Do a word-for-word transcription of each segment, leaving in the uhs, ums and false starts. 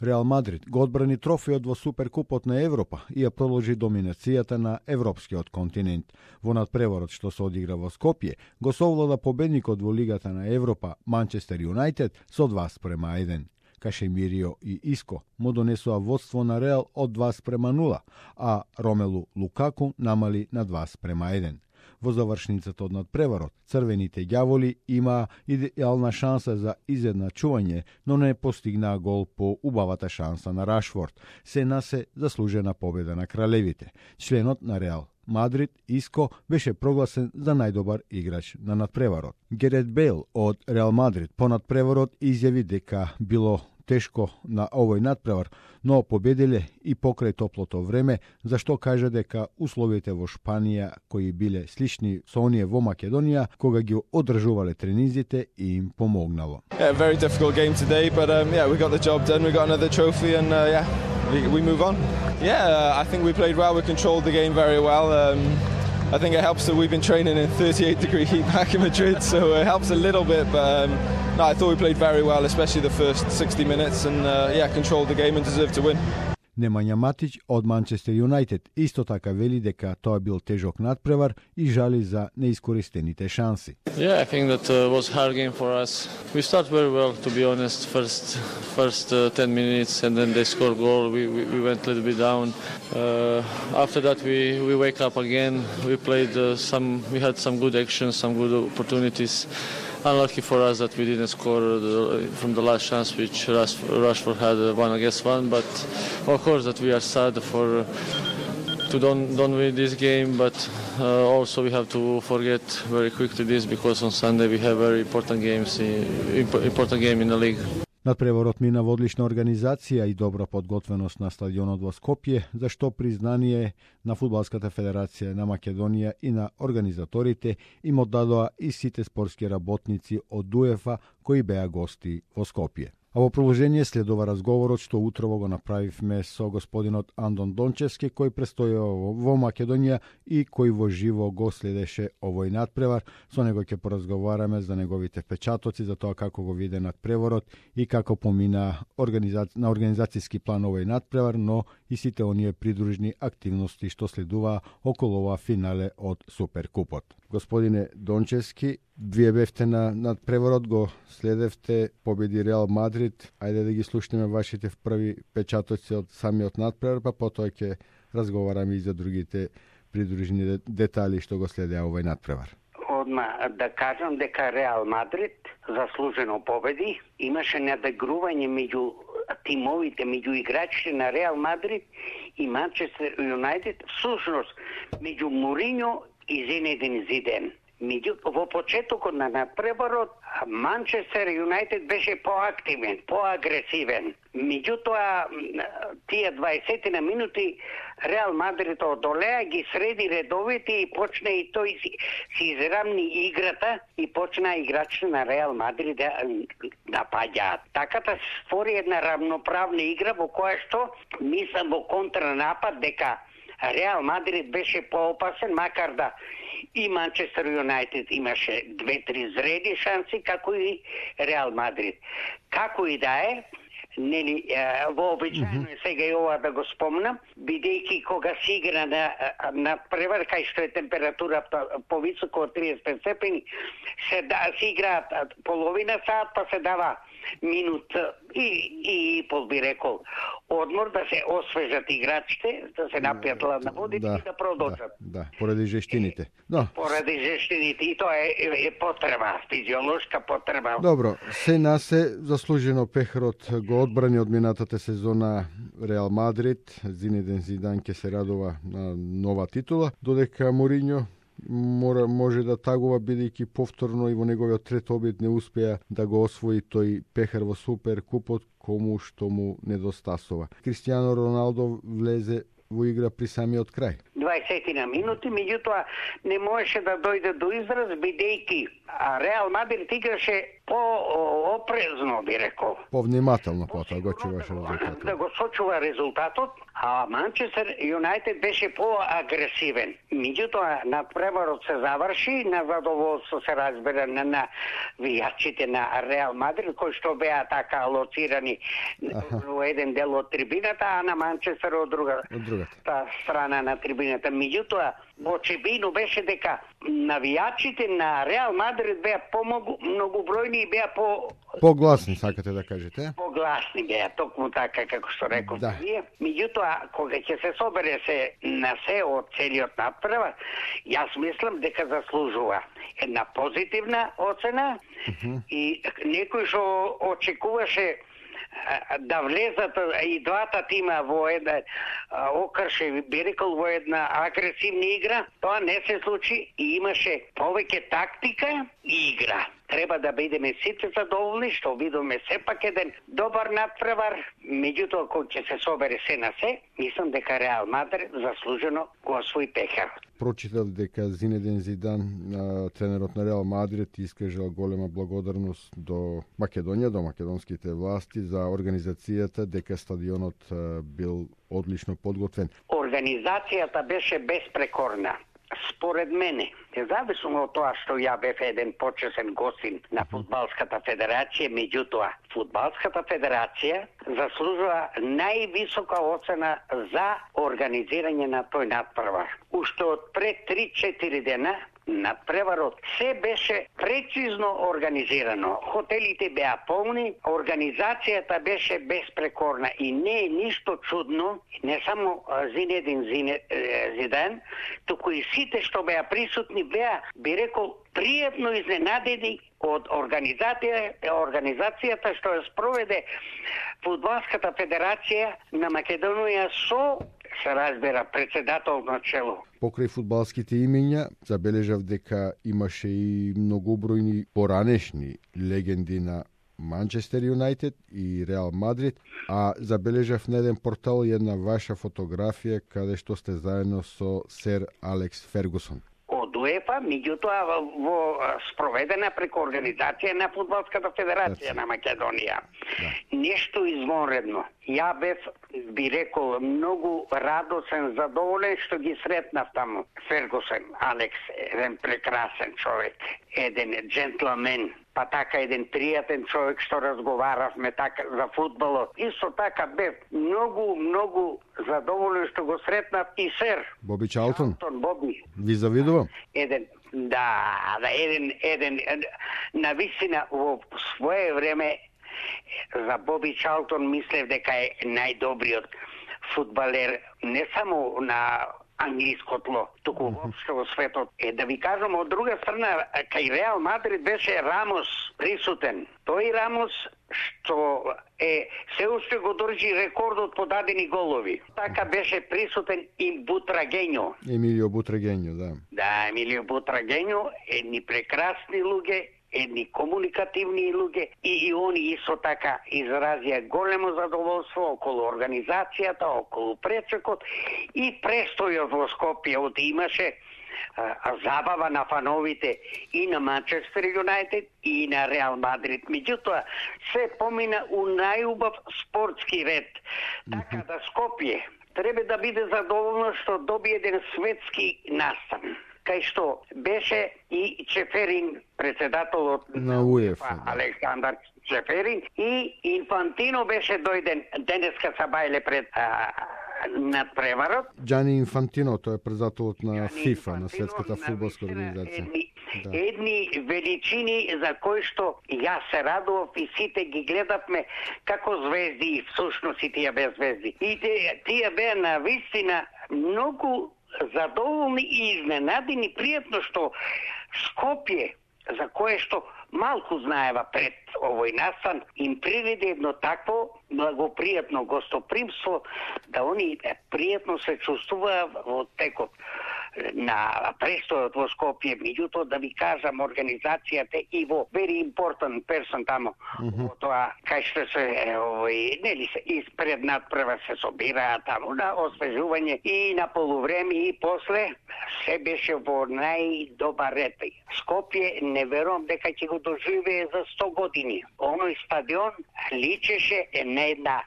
Реал Мадрид го одбрани трофејот во Суперкупот на Европа и ја продолжи доминацијата на европскиот континент. Во надпреварот што се одигра во Скопје, го совлада победникот во Лигата на Европа Манчестер Юнајтед со два спрема еден. Кашемирио и Иско му донесоа водство на Реал од два спрема нула, а Ромелу Лукаку намали на два спрема еден. Во завршницата од надпреварот, црвените ѓаволи имаа идеална шанса за изедначување, но не постигнаа гол по убавата шанса на Рашфорд. Се на се заслужена победа на кралевите. Членот на Реал Мадрид, Иско, беше прогласен за најдобар играч на надпреварот. Герет Бейл од Реал Мадрид по надпреварот изјави дека било тешко на овој надпревар, но победиле и покрај топлото време, зашто кажа дека условите во Шпанија кои биле слични со оние во Македонија, кога ги одржувале тренизите и им помогнало. Yeah, very difficult game today, but um, yeah, we got the job done. We got another trophy, and uh, yeah, we, we move on. Yeah, uh, I think we played well. We controlled the game very well. Um, I think it helps that we've been training in thirty-eight degree heat back in Madrid, so it helps a little bit. But um, no, I thought we played very well, especially the first sixty minutes, and uh, yeah, controlled the game and deserved to win. Немања Матич од Манчестер Юнајтед исто така вели дека тоа бил тежок надпревар и жали за неискористените шанси. Yeah, I think that uh, was hard game for us. We start very well, to be honest. First, first uh, ten minutes, and then they score goal. We, we we went a little bit down. Uh, after that, we we wake up again. We played uh, some. We had some good actions, some good opportunities. Unlucky for us that we didn't score the, from the last chance, which Rashford had uh, one against one. But of course, that we are sad for uh, to don't don't win this game. But uh, also we have to forget very quickly this, because on Sunday we have very important games, in, important game in the league. Надпреварот мина во одлична организација и добра подготвеност на стадионот во Скопје, за што признание на Фудбалската федерација на Македонија и на организаторите им оддадоа и сите спортски работници од УЕФА кои беа гости во Скопје. А во продолжение следува разговорот што утрово го направивме со господинот Андон Дончевски, кој престојува во Македонија и кој во живо го следеше овој надпревар. Со него ќе поразговараме за неговите впечатоци, за тоа како го виде надпреварот и како помина организаци... на организацијски план овој надпревар, но и сите оние придружни активности што следува околу ова финале од Суперкупот. Господине Дончевски, вие бевте на надпреварот, го следевте, победи Реал Мадрид. Ајде да ги слушнеме вашите први печатоци од самиот надпревар, па потоа ќе разговараме и за другите придружни детали што го следеа овој надпревар. Одма да кажам дека Реал Мадрид заслужено победи. Имаше надигрување меѓу тимовите, меѓу играчите на Реал Мадрид и Манчестер Юнајтед, всушност меѓу Мориньо и Зинедин Зиден. Меѓутоа, во почетокот на надпреварот, Манчестер Юнајтед беше поактивен, поагресивен. Меѓутоа, тие дваесет на минути Реал Мадрид одолеа, ги среди редовите и почна и тој си, си израмни играта и почна играчите на Реал Мадрид да напаѓаат. Така да створи една равноправна игра во која што мислам во контранапад дека Реал Мадрид беше поопасен, макар да и Манчестер Юнајтед имаше две-три зреди шанси, како и Реал Мадрид. Како и да е, нели, вообичаено е сега и ова да го спомнам, бидејќи кога се игра на, на превар, кај што е температурата повисоко од триесет степени, се, да, се играат половина саат, па се дава минут и, и, и пол би рекол одмор, да се освежат играчите, да се напијат ладна вода да, и да продолжат. Да, да, поради жештините. Да. Поради жештините, и тоа е, е, е потреба, физиолошка потреба. Добро, се на се заслужено пехарот го одбрани од минатата сезона Реал Мадрид. Зинедин Зидан ќе се радува на нова титула, додека Мориньо мора може да тагува, бидејќи повторно и во неговиот трет обид не успеа да го освои тој пехар во Суперкупот, кому што му недостасува. Кристијано Роналдо влезе во игра при самиот крај. дваесет на минути, меѓутоа не можеше да дојде до израз, бидејќи Реал Мадрид играше по-опрезно, би рекол. Повнимателно потоа го чуваше резултатот. Да го сочува резултатот, а Манчестер Юнайтед беше по-агресивен. Меѓутоа, надпреварот се заврши, на задоволство се разбира на, на вијачите на Реал Мадрид, кои што беа така алоцирани во еден дел од трибината, а на Манчестер од друга од другата та страна на трибината. Меѓутоа, очебино беше дека навијачите на Реал Мадрид беа помогу многобројни и беа по погласни, сакате да кажете? Погласни беа, токму така како што реков да. вие. Меѓутоа, кога ќе се собере се на се од целиот надпревар, јас мислам дека заслужува една позитивна оцена uh-huh. и некој што очекуваше да влезат и двата тима во една окрше, би рекол, во една агресивна игра, тоа не се случи и имаше повеќе тактика и игра. Треба да бидеме сите задоволни што видиме сепак еден добар надпревар, меѓутоа кога ќе се собере се на се, мислам дека Реал Мадрид заслужено го освои пехарот. Прочитал дека Зинедин Зидан, тренерот на Реал Мадрид, искажал голема благодарност до Македонија, до македонските власти за организацијата, дека стадионот бил одлично подготвен. Организацијата беше безпрекорна. Според мене, независимо од тоа што ја бев еден почесен гостин на Фудбалската федерација, меѓутоа, Фудбалската федерација заслужува највисока оцена за организирање на тој надпревар. Уште од пред три-четири дена надпреварот се беше прецизно организирано. Хотелите беа полни, организацијата беше безпрекорна и не е ништо чудно, не само Зинедин Зидан, туку и сите што беа присутни беа, би рекол, пријатно изненадени од организација, организацијата што ја спроведе Фудбалската федерација на Македонија со, се разбира, председател на чело. Покрај фудбалските имења, забележав дека имаше и многобројни поранешни легенди на Манчестер Юнайтед и Реал Мадрид, а забележав на еден портал една ваша фотографија каде што сте заедно со сер Алекс Фергусон. Од УЕФА, меѓутоа во спроведена преку организација на Фудбалската федерација на Македонија. Да. Нешто извонредно. Ја бев, би рекол, многу радосен, задоволен што ги сретнав таму. Фергусен, Алекс, еден прекрасен човек, еден джентлмен, па така еден пријатен човек што разговаравме така за фудбалот. Исто така бев многу, многу задоволен што го сретнав и сер. Боби Чалтон. Чалтон, Боби. Ви завидувам. Еден, да, да, еден, еден, на вистина во свое време за Боби Чалтон мислев дека е најдобриот фудбалер не само на англиско тло, туку воопшто во светот. Е, да ви кажам, од друга страна, кај Реал Мадрид беше Рамос присутен. Тој Рамос што е се уште го држи рекордот по дадени голови. Така беше присутен и Бутрагењо. Емилио Бутрагењо, да. Да, Емилио Бутрагењо, едни прекрасни луѓе, едни комуникативни луѓе и, и они исто така изразија големо задоволство околу организацијата, околу пречекот и престојот во Скопје, од имаше а, забава на фановите и на Манчестер Юнайтед и на Реал Мадрид. Меѓутоа, се помина у најубав спортски ред. Така да Скопје треба да биде задоволно што доби еден светски настан, кај што беше и Чеферин, председателот на УЕФА, Александар Чеферин, и Инфантино беше дојден денеска са бајле пред а, надпреварот. Џани Инфантино, тој е председателот на Джани ФИФА, Инфантино, на Светската фудбалска организација. Едни, да. едни величини за кои што јас се радував и сите ги гледавме како звезди и всушност и тие без звезди. И тие, тие беа на вистина многу задоволни и изненадени, пријатно што Скопје, за кое што малку знаева пред овој настан, им приреди едно такво благопријатно гостопримство, да они пријатно се чувствуваа во текот на престојот во Скопје, меѓутоа да ви кажам организацијата и во very important person тамо, mm -hmm. во тоа кај што се овој нели се испред надпрва се собираат таму на освежување и на полувреме и после се беше во најдобар ред. Скопје не верувам дека ќе го доживее за сто години. Оној стадион личеше на една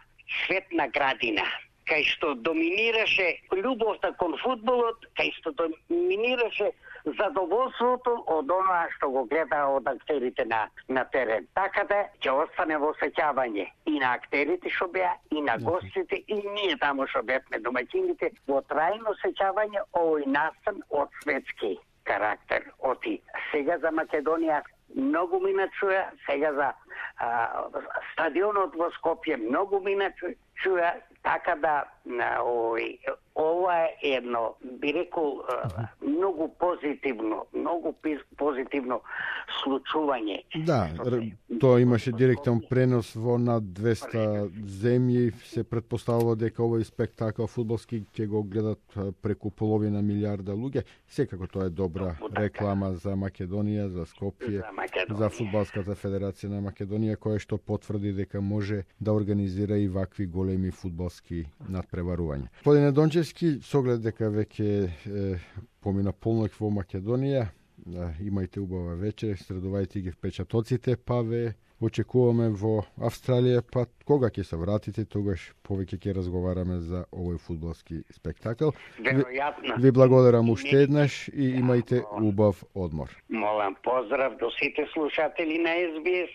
светна градина, кај што доминираше љубовта кон фудбалот, кај што доминираше задоволството од оноа што го гледа од актерите на, на терен. Така да ќе остане во сеќавање и на актерите што беа, и на гостите, и ние таму што бевме домаќините, во трајно сеќавање овој настан од светски карактер. Оти сега за Македонија многу мина чуја, сега за а, стадионот во Скопје многу мина чуја, така да овој ова е едно, би рекол, многу позитивно, многу позитивно случување. Да, тоа имаше директен пренос во над двесте земји, се претпоставува дека овој спектакл фудбалски ќе го гледат преку половина милиарда луѓе. Секако тоа е добра реклама за Македонија, за Скопје, за, за Фудбалската федерација на Македонија, која што потврди дека може да организира и вакви големи фудбалски надпреварувања. Господине Дончевски, со оглед дека веќе е, помина полнок во Македонија, да, имајте убава вечер, средувајте ги впечатоците, па ве очекуваме во Австралија, па кога ќе се вратите, тогаш повеќе ќе разговараме за овој фудбалски спектакл. Веројатно. Ви благодарам уште еднаш и имајте убав одмор. Молам поздрав до сите слушатели на Ес Би Ес.